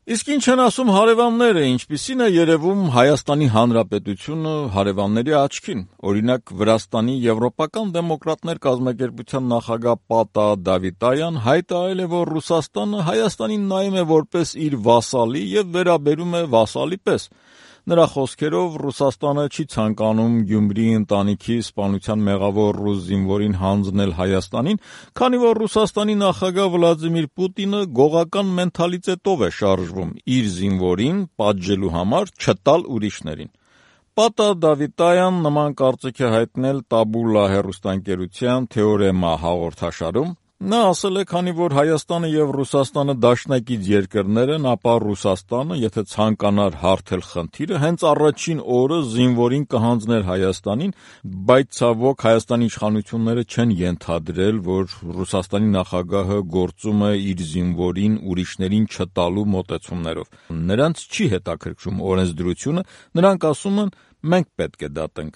Իսկ ինչ են ասում հարևանները, ինչպիսին է երևում Հայաստանի Հանրապետությունը հարևանների աչքին: Օրինակ, Վրաստանի Եվրոպական դեմոկրատներ կազմակերպության նախագահ Պատա Դավիտայան հայտարարել է, որ Ռուսաստանը Հայաստանին նայում է որպես իր վասալի և վերաբերում է վասալի պես: Նրա խոսքերով, Ռուսաստանը չի ցանկանում Գյումրիի ընտանիքի սպանության մեղավոր ռուս զինվորին հանձնել Հայաստանին, քանի որ Ռուսաստանի նախագահ Վլադիմիր Պուտինը գողական մենթալիտետով է շարժվում իր զինվորին պատժելու համար չտալ ուրիշներին: Պատա Դավիտայան նման կարծիք է հայտնել «Տաբուլա» հեռուստաընկերության «Թեորեմա» հաղորդաշարում: Նա ասել է, քանի որ Հայաստանը և Ռուսաստանը դաշնակից երկրներ են, ապա Ռուսաստանը, եթե ցանկանար հարթել խնդիրը, հենց առաջին օրը զինվորին կհանձներ Հայաստանին, բայց ցավոք Հայաստանի իշխանությունները չեն ենթադրել, որ Ռուսաստանի նախագահը գործում է իր զինվորին ուրիշներին չտալու մոտեցումներով: Նրանց չի հետաքրքրում օրենսդրությունը, նրանք ասում են՝ մենք պետք է դատենք: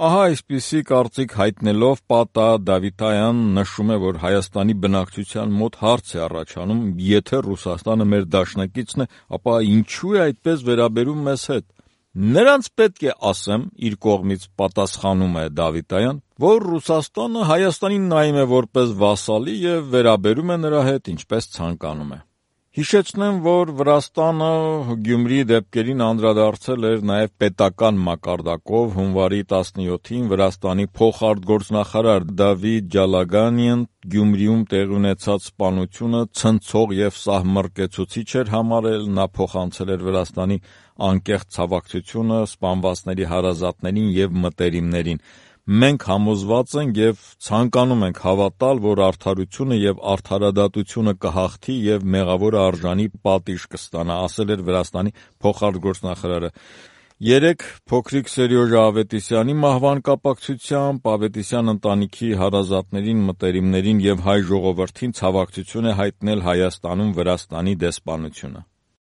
Ահա այսպիսի կարծիք հայտնելով Պատա Դավիտայանն նշում է, որ Հայաստանի բնակչության մոտ հարց է առաջանում՝ եթե Ռուսաստանը մեր դաշնակիցն է, ապա ինչու է այդպես վերաբերվում մեզ հետ: Նրանց պետք է ասեմ, իր կողմից պատասխանում է Դավիտայան, որ Ռուսաստանը Հայաստանին նայում է որպես վասալի և վերաբերում է նրա հետ ինչպես ցանկանում է: Հիշեցնեմ, որ Վրաստանը Գյումրիի դեպքերին անդրադարձել էր նաև պետական մակարդակով հունվարի 17-ին Վրաստանի փոխարտգործնախարար Դավիթ Ջալագանին Գյումրիում տեղի ունեցած սպանությունը ցնցող և սահմռկեցուցիչ էր համարել: Նա փոխանցել էր Վրաստանի անկեղծ ցավակցությունը սպանվածների հարազատներին և մտերիմներին: Մենք համոզված ենք և ցանկանում ենք հավատալ, որ արդարությունը և արդարադատությունը կհաղթի և մեղավորը արժանի պատիժ կստանա, ասել էր Վրաստանի փոխարտգործնախարարը: Երեկ փոքրիկ Սերյոժա Ավետիսյանի մահվան կապակցությամբ Ավետիսյան ընտանիքի հարազատներին, մտերիմներին և հայ ժողովրդին ցավակցություն է հայտնել Հայաստանում Վրաստանի դեսպանությունը: